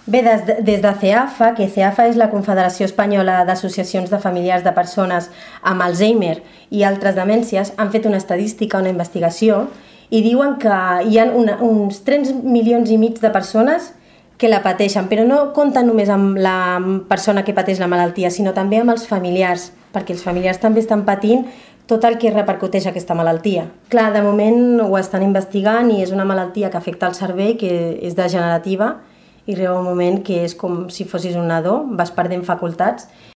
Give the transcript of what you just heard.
Bé, des de CEAFA, que CEAFA és la Confederació Espanyola d'Associacions de Familiars de Persones amb Alzheimer i altres demències, han fet una estadística, una investigació, i diuen que hi ha uns 3 milions i mig de persones que la pateixen, però no compten només amb la persona que pateix la malaltia, sinó també amb els familiars, perquè els familiars també estan patint tot el que repercuteix aquesta malaltia. Clar, de moment ho estan investigant i és una malaltia que afecta el cervell, que és degenerativa, i arriba un moment que és com si fossis un nadó, vas perdent facultats